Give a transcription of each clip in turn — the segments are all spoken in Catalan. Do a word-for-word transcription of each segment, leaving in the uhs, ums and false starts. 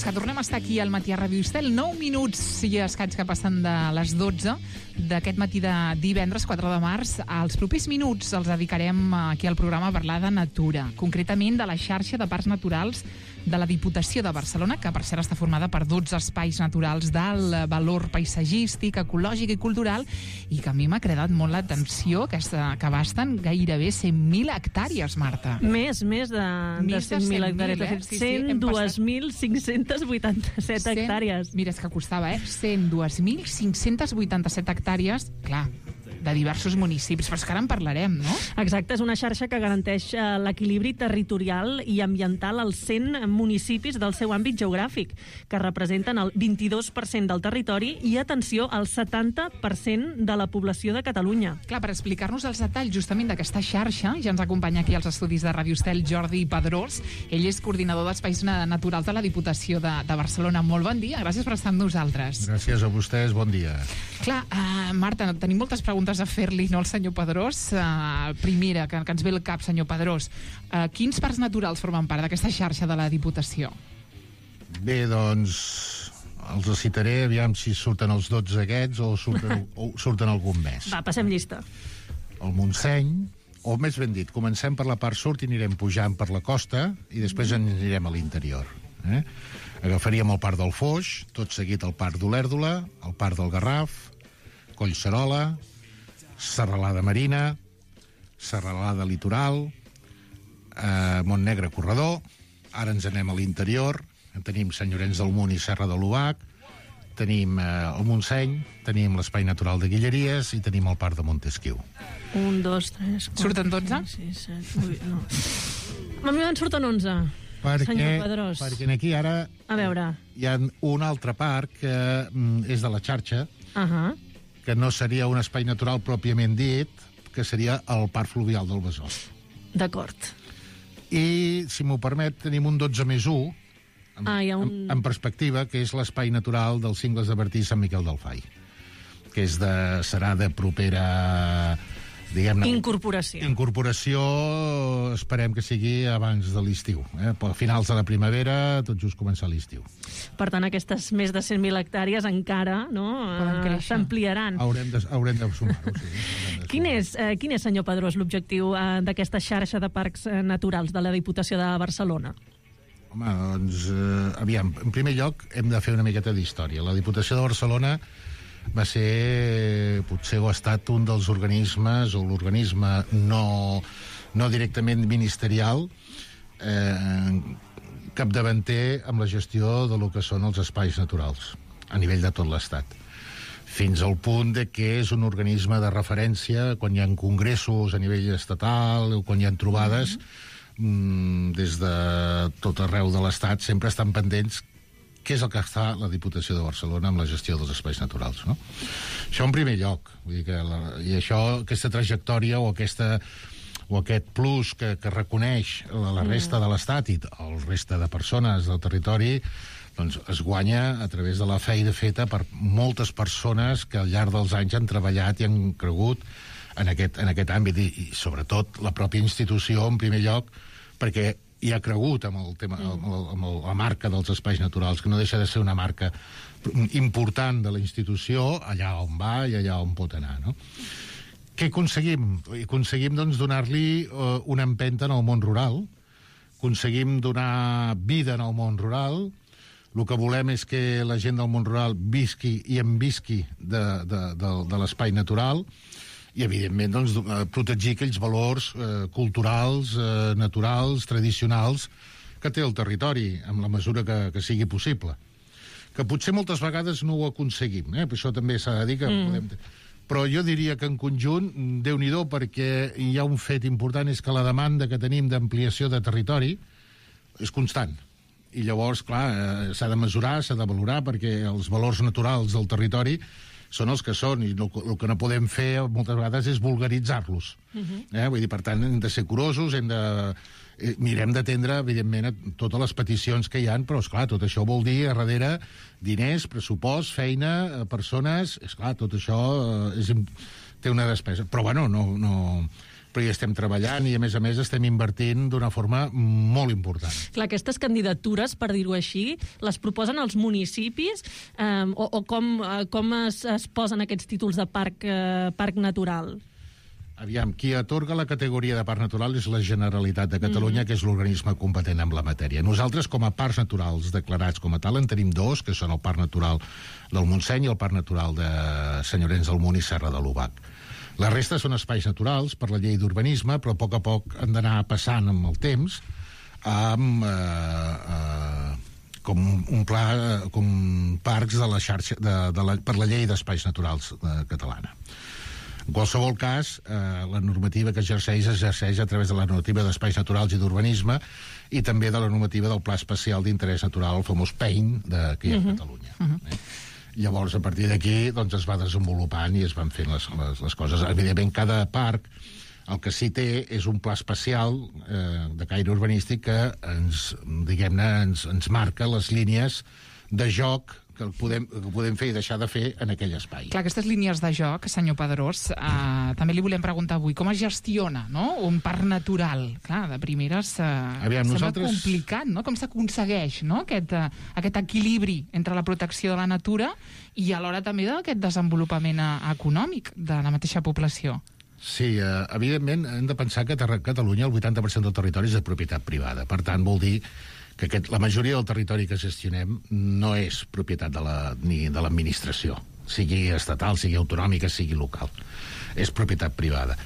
minuts, que tornem a estar aquí al matí a Ràdio Estel. nou minuts i escaig que passen de les dotze d'aquest matí de divendres quatre de març. Els propers minuts els dedicarem aquí al programa a parlar de natura, concretament de la xarxa de parcs naturals de la Diputació de Barcelona, que per cert està formada per dotze espais naturals d'alt valor paisatgístic, ecològic i cultural, i que a mi m'ha cridat molt l'atenció, que, que abasten gairebé cent mil hectàrees, Marta. Més, més de, de cent mil hectàrees. Eh? Sí, sí, cent dos mil cinc-cents vuitanta-set hectàrees. Mira, és que costava, eh? cent dos mil cinc-cents vuitanta-set hectàrees, clar, de diversos municipis, però és que ara en parlarem, no? Exacte, és una xarxa que garanteix l'equilibri territorial i ambiental als cent municipis del seu àmbit geogràfic, que representen el vint-i-dos per cent del territori i, atenció, el setanta per cent de la població de Catalunya. Clar, per explicar-nos els detalls justament d'aquesta xarxa, ja ens acompanya aquí als estudis de Ràdio Estel Jordi Pedrós. Ell és coordinador d'Espais Naturals de la Diputació de, de Barcelona. Molt bon dia, gràcies per estar amb nosaltres. Gràcies a vostès, bon dia. Clar, uh, Marta, tenim moltes preguntes a fer-li, no, al senyor Pedrós. Uh, primera, que, que ens ve al cap, senyor Pedrós. Uh, quins parcs naturals formen part d'aquesta xarxa de la Diputació? Bé, doncs, els citaré, aviam si surten els dotze aquests o surten, o surten algun més. Va, passem llista. El Montseny, o més ben dit, comencem per la part sud i anirem pujant per la costa i després mm. anirem a l'interior. Eh? Agafaríem el Parc del Foix, tot seguit el Parc d'Olèrdola, el Parc del Garraf, Collserola, Serralada Marina, Serralada Litoral, eh, Montnegre Corredor. Ara ens anem a l'interior, tenim Sant Llorenç del Munt i Serra de l'Obac, tenim eh, el Montseny, tenim l'Espai Natural de Guilleries i tenim el Parc de Montesquiu. Un, dos, tres, quatre... Surten dotze? sis, set, vuit, no. A mi me'n surten onze, perquè, senyor Pedrós. Perquè aquí ara a veure. Hi ha un altre parc que mm, és de la xarxa, uh-huh. que no seria un espai natural pròpiament dit, que seria el Parc Fluvial del Besòs. D'acord. I, si m'ho permet, tenim un dotze més u, en, ah, un... en, en perspectiva, que és l'espai natural dels Cingles de Bertí i Sant Miquel del Fai, que és de, serà de propera... diguem-ne... Incorporació. Incorporació, esperem que sigui abans de l'estiu. Eh? A finals de la primavera, tot just començar l'estiu. Per tant, aquestes més de cent mil hectàrees encara no, eh, s'ampliaran. Haurem de, haurem de sumar-ho, sí. De quin, és, eh, quin és, senyor Pedrós, l'objectiu eh, d'aquesta xarxa de parcs eh, naturals de la Diputació de Barcelona? Home, doncs, eh, aviam, en primer lloc hem de fer una miqueta d'història. La Diputació de Barcelona va ser, potser ho ha estat un dels organismes, o l'organisme no, no directament ministerial, eh, capdavanter amb la gestió de lo que són els espais naturals a nivell de tot l'Estat, fins al punt de que és un organisme de referència quan hi ha congressos a nivell estatal o quan hi ha trobades. Mm-hmm. Des de tot arreu de l'Estat sempre estan pendents què és el que està la Diputació de Barcelona amb la gestió dels espais naturals, no? Això en primer lloc, vull dir que la, i això, aquesta trajectòria o aquesta o aquest plus que, que reconeix la, la resta de l'Estat i el resta de persones del territori, doncs es guanya a través de la feina feta per moltes persones que al llarg dels anys han treballat i han cregut en aquest, en aquest àmbit i, i sobretot la pròpia institució en primer lloc, perquè i ha cregut amb el tema, amb, el, amb el, la marca dels espais naturals, que no deixa de ser una marca important de la institució allà on va i allà on pot anar, no? Què aconseguim? Aconseguim, doncs, donar-li uh, una empenta en el món rural, aconseguim donar vida en el món rural. El que volem és que la gent del món rural visqui i en visqui de, de, de, de l'espai natural, i evidentment doncs, protegir aquells valors eh, culturals, eh, naturals, tradicionals que té el territori en la mesura que, que sigui possible, que potser moltes vegades no ho aconseguim, eh? Per això també s'ha de dir que mm. podem... però jo diria que en conjunt, Déu-n'hi-do, perquè hi ha un fet important, és que la demanda que tenim d'ampliació de territori és constant, i llavors, clar, eh, s'ha de mesurar, s'ha de valorar, perquè els valors naturals del territori són els que són, i el, el que no podem fer moltes vegades és vulgaritzar-los. Uh-huh. eh? Vull dir, per tant, hem de ser curosos, hem de... Eh, mirem d'atendre, evidentment, totes les peticions que hi han, però, esclar, tot això vol dir, a darrere, diners, pressupost, feina, persones... Esclar, tot això eh, és, té una despesa. Però, bueno, no... no però hi estem treballant i, a més a més, estem invertint d'una forma molt important. Clar, aquestes candidatures, per dir-ho així, les proposen els municipis eh, o, o com, eh, com es, es posen aquests títols de parc, eh, parc natural? Aviam, qui atorga la categoria de parc natural és la Generalitat de Catalunya, mm. que és l'organisme competent en la matèria. Nosaltres, com a parcs naturals declarats com a tal, en tenim dos, que són el Parc Natural del Montseny i el Parc Natural de Sant Llorenç del Munt i Serra de l'Obac. La resta són espais naturals per la llei d'urbanisme, però a poc a poc han d'anar passant amb el temps amb, eh, eh, com un pla, com parcs de la xarxa, de, de la, per la llei d'espais naturals eh, catalana. En qualsevol cas, eh, la normativa que exerceix exerceix a través de la normativa d'espais naturals i d'urbanisme i també de la normativa del Pla Especial d'Interès Natural, el famós P E I N, de, que hi ha a Catalunya. Uh -huh. eh? Llavors, a partir d'aquí, doncs, es va desenvolupant i es van fent les, les, les coses. Evidentment, cada parc el que sí té és un pla especial eh, de caire urbanístic que ens, diguem-ne, ens, ens marca les línies de joc que podem, que podem fer i deixar de fer en aquell espai. Clar, aquestes línies de joc, senyor Pedrós, eh, també li volem preguntar avui, com es gestiona, no?, un parc natural? Clar, de primeres eh, Aviam, sembla nosaltres... complicat, no?, com s'aconsegueix, no?, aquest, eh, aquest equilibri entre la protecció de la natura i alhora també d'aquest desenvolupament eh, econòmic de la mateixa població. Sí, eh, evidentment hem de pensar que a Catalunya el vuitanta per cent del territori és de propietat privada. Per tant, vol dir que aquest, la majoria del territori que gestionem no és propietat de la, ni de l'administració, sigui estatal, sigui autonòmica, sigui local. És propietat privada.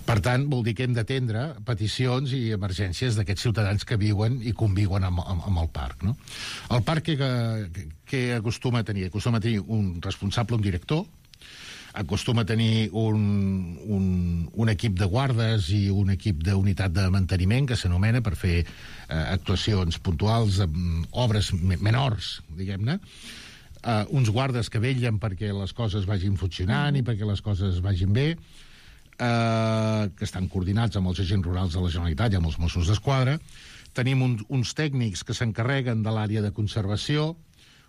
Per tant, vol dir que hem d'atendre peticions i emergències d'aquests ciutadans que viuen i conviuen amb, amb, amb el parc. No? El parc que, que, que acostuma a tenir? Acostuma a tenir un responsable, un director, acostuma a tenir un, un, un equip de guardes i un equip d'unitat de manteniment que s'anomena per fer eh, actuacions puntuals, eh, obres menors, diguem-ne, eh, uns guardes que vetllen perquè les coses vagin funcionant i perquè les coses vagin bé, eh, que estan coordinats amb els agents rurals de la Generalitat i amb els Mossos d'Esquadra. Tenim un, uns tècnics que s'encarreguen de l'àrea de conservació,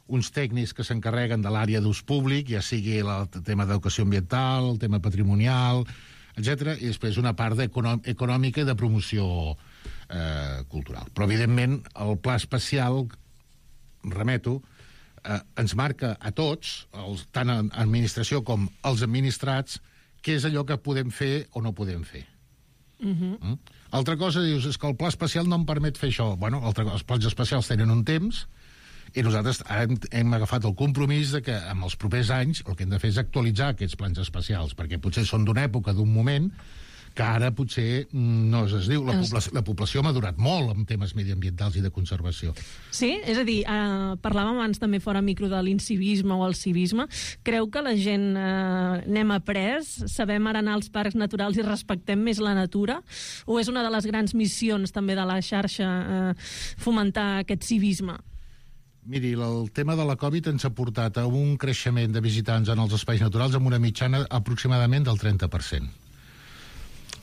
uns tècnics que s'encarreguen de l'àrea d'ús públic, ja sigui el tema d'educació ambiental, el tema patrimonial, etcètera, i després una part econòmica i de promoció eh, cultural. Però, evidentment, el pla especial, remeto, eh, ens marca a tots, els, tant en administració com els administrats, què és allò que podem fer o no podem fer. Uh-huh. Mm? Altra cosa, dius, és que el pla especial no em permet fer això. Bueno, altra, els plans especials tenen un temps, i nosaltres ara hem, hem agafat el compromís de que en els propers anys el que hem de fer és actualitzar aquests plans especials, perquè potser són d'una època, d'un moment, que ara potser no es diu. La, població, la població ha madurat molt en temes mediambientals i de conservació. Sí? És a dir, eh, parlàvem abans també fora micro de l'incivisme o el civisme. Creu que la gent eh, n'hem après, sabem ara anar als parcs naturals i respectem més la natura? O és una de les grans missions també de la xarxa eh, fomentar aquest civisme? Miri, el tema de la Covid ens ha portat a un creixement de visitants en els espais naturals amb una mitjana aproximadament del trenta per cent.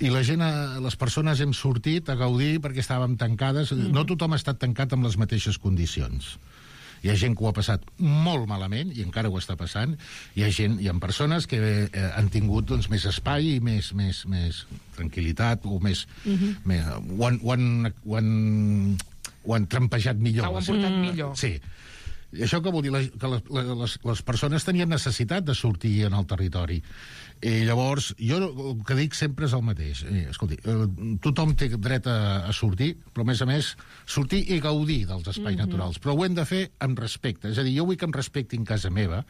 I la gent, les persones hem sortit a gaudir perquè estàvem tancades. Mm. No tothom ha estat tancat amb les mateixes condicions. Hi ha gent que ho ha passat molt malament i encara ho està passant. Hi ha gent, hi ha persones que eh, han tingut doncs, més espai i més, més, més tranquil·litat o més... Mm-hmm. més ho, han, ho, han, ho, han, ho han trampejat millor. Ho han portat mm. millor. Sí. I això què vol dir? Que les, les, les persones tenien necessitat de sortir en el territori. I llavors, jo el que dic sempre és el mateix. Escolti, tothom té dret a, a sortir, però a més a més sortir i gaudir dels espais mm-hmm. naturals. Però ho hem de fer amb respecte. És a dir, jo vull que em respectin casa meva,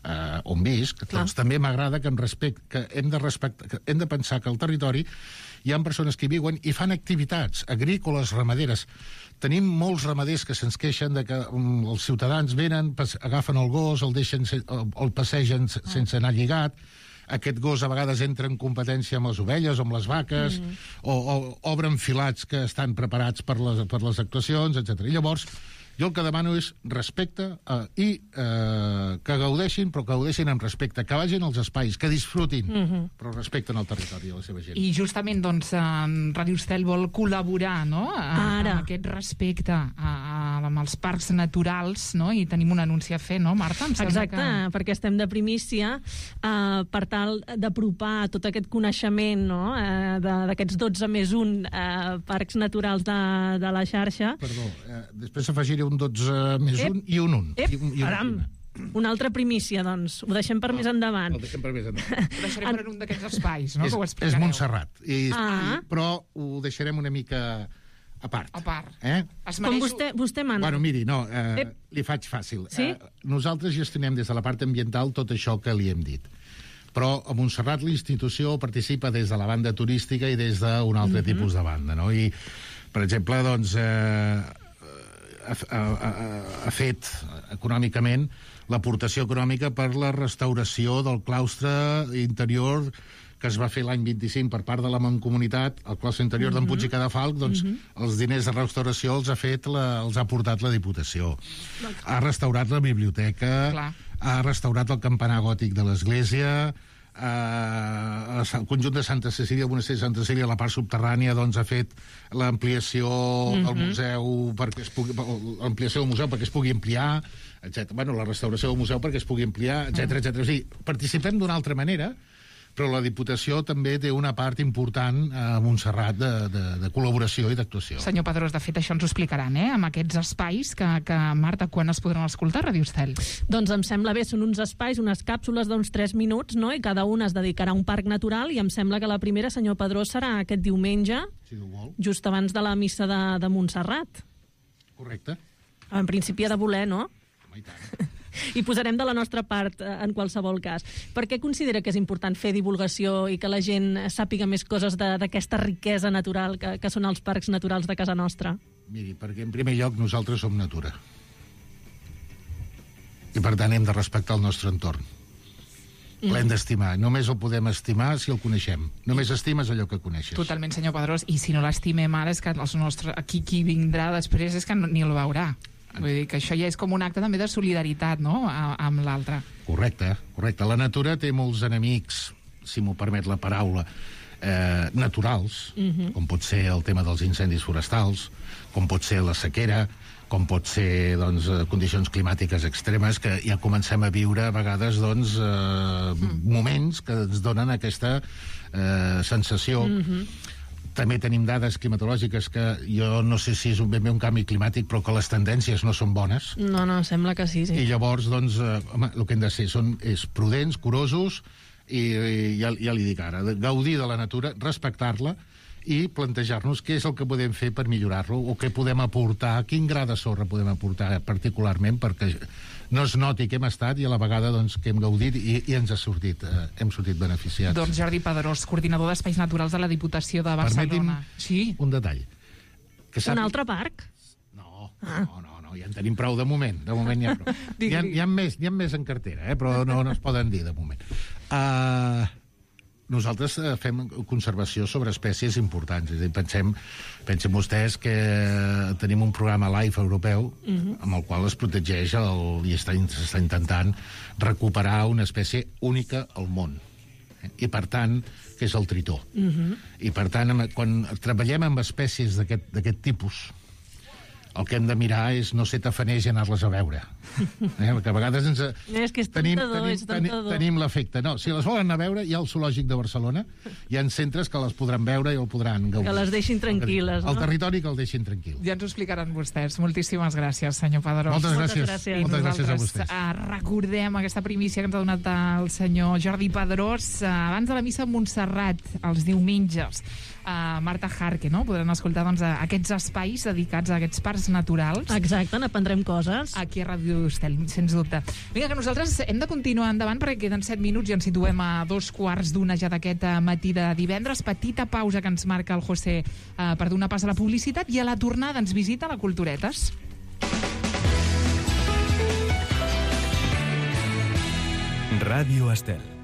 eh, on visc, doncs també m'agrada que em respect, que hem de respectar, que hem de pensar que al territori hi ha persones que hi viuen i fan activitats agrícoles, ramaderes. Tenim molts ramaders que se'ns queixen de que um, els ciutadans venen, pas, agafen el gos, el deixen, el, el passegen sense anar lligat. Aquest gos a vegades entra en competència amb les ovelles o amb les vaques, mm. o, o obren filats que estan preparats per les, per les actuacions, etcètera. I llavors, jo el que demano és respecte eh, i eh, que gaudeixin, però que gaudeixin amb respecte, que vagin als espais, que disfrutin, mm-hmm. però respecten el territori de la seva gent. I justament, doncs, en Radio Estel vol col·laborar, no?, a, a aquest respecte a, a la amb els parcs naturals, no? I tenim un anunci a fer, no, Marta? Em sembla Exacte, que... perquè estem de primícia eh, per tal d'apropar tot aquest coneixement, no? eh, d'aquests dotze més un eh, parcs naturals de, de la xarxa. Perdó, eh, després afegiré un dotze més un i un un. Ep, I un, i un, aram, una altra primícia, doncs. Ho deixem per no, més endavant. El deixem per més endavant. Ho deixarem per un d'aquests espais, no? És, que ho és explicareu. Montserrat, i, Ah. i, però ho deixarem una mica a part. A part. Eh? Es Com mereix... vostè, vostè mana. Bueno, miri, no, eh, Ep. li faig fàcil. Sí? Eh, nosaltres gestionem des de la part ambiental tot això que li hem dit. Però a Montserrat la institució participa des de la banda turística i des d'un altre mm-hmm. tipus de banda, no? I, per exemple, doncs, eh, ha, ha, ha, ha fet econòmicament l'aportació econòmica per la restauració del claustre interior que es va fer l'any vint-i-cinc per part de la Mancomunitat, el claustre interior mm-hmm. d'en Puig i Cadafalch, doncs mm-hmm. els diners de restauració els ha fet la, els ha portat la Diputació. Ha restaurat la biblioteca, Clar. ha restaurat el campanar gòtic de l'església, eh, el conjunt de Santa Cecília, el monestir de Santa Cecília, la part subterrània, doncs ha fet l'ampliació mm-hmm. del museu perquè es pugui, l'ampliació del museu perquè es pugui ampliar, etcètera. Bueno, la restauració del museu perquè es pugui ampliar, etcètera, etcètera. O sigui, participem d'una altra manera, però la Diputació també té una part important a Montserrat de, de, de col·laboració i d'actuació. Senyor Pedrós, de fet, això ens ho explicaran, eh?, amb aquests espais que, que Marta, quan es podran escoltar a Ràdio Estel? Doncs em sembla bé, són uns espais, unes càpsules d'uns tres minuts, no? I cada una es dedicarà a un parc natural, i em sembla que la primera, senyor Pedrós, serà aquest diumenge, Si ho vol. just abans de la missa de, de Montserrat. Correcte. En principi ha de voler, no? Home, i tant. I posarem de la nostra part eh, en qualsevol cas. Per què considera que és important fer divulgació i que la gent sàpiga més coses d'aquesta riquesa natural que, que són els parcs naturals de casa nostra? Miri, perquè en primer lloc nosaltres som natura. I per tant hem de respectar el nostre entorn. Mm. L'hem d'estimar. Només el podem estimar si el coneixem. Només estimes allò que coneixes. Totalment, senyor Pedrós. I si no l'estimem ara, és que els nostres... aquí qui vindrà després és que no, ni el veurà. Vull dir que això ja és com un acte també de solidaritat, no?, a, amb l'altre. Correcte, correcte. La natura té molts enemics, si m'ho permet la paraula, eh, naturals, uh-huh. com pot ser el tema dels incendis forestals, com pot ser la sequera, com pot ser, doncs, condicions climàtiques extremes, que ja comencem a viure a vegades, doncs, eh, mm. moments que ens donen aquesta eh, sensació. Mm-hmm. També tenim dades climatològiques que jo no sé si és un, ben bé un canvi climàtic, però que les tendències no són bones. No, no, sembla que sí, sí. I llavors, doncs, eh, home, el que hem de ser són, és prudents, curosos, i, i ja, ja li dic ara, gaudir de la natura, respectar-la, i plantejar-nos què és el que podem fer per millorar-lo, o què podem aportar, quin gra de sorra podem aportar particularment perquè no es noti que hem estat i a la vegada doncs, que hem gaudit i, i ens ha sortit, eh, hem sortit beneficiats. Doncs Jordi Pedrós, coordinador d'Espais Naturals de la Diputació de Barcelona. Permeti'm sí. un detall. Que sap... Un altre parc? No, no, no, no, ja en tenim prou de moment. De moment n'hi ha prou. N'hi ha, hi ha, més, hi ha més en cartera, eh, però no, no es poden dir de moment. Uh, nosaltres fem conservació sobre espècies importants. És a dir, pensem, pensem vostès que tenim un programa LIFE europeu uh-huh. amb el qual es protegeix el, i està, està intentant recuperar una espècie única al món. Eh? I, per tant, que és el tritó. Uh-huh. I, per tant, quan treballem amb espècies d'aquest tipus, el que hem de mirar és no ser tafaners i anar-les a veure. Eh? Perquè a vegades ens... És que és tenim, tentador, tenim, és tentador. Tenim l'efecte. No, si les volen anar a veure, hi ha el Zoològic de Barcelona, hi ha centres que les podran veure i el podran gaudir. Que les deixin tranquil·les, no? El territori que el deixin tranquil. Ja ens ho explicaran vostès. Moltíssimes gràcies, senyor Pedrós. Moltes gràcies. Moltes gràcies. I Moltes gràcies a nosaltres vostès. uh, recordem aquesta primícia que ens ha donat el senyor Jordi Pedrós uh, abans de la missa a Montserrat, els diumenges. Uh, Marta Jarque, no? Podran escoltar doncs, aquests espais dedicats a aquests parcs naturals. Exacte, n'aprendrem coses. Aquí a Ràdio Estel, sens dubte. Vinga, que nosaltres hem de continuar endavant perquè queden set minuts i ens situem a dos quarts d'una ja d'aquest matí de divendres. Petita pausa que ens marca el José uh, per donar pas a la publicitat i a la tornada ens visita la Culturetes. Ràdio Estel.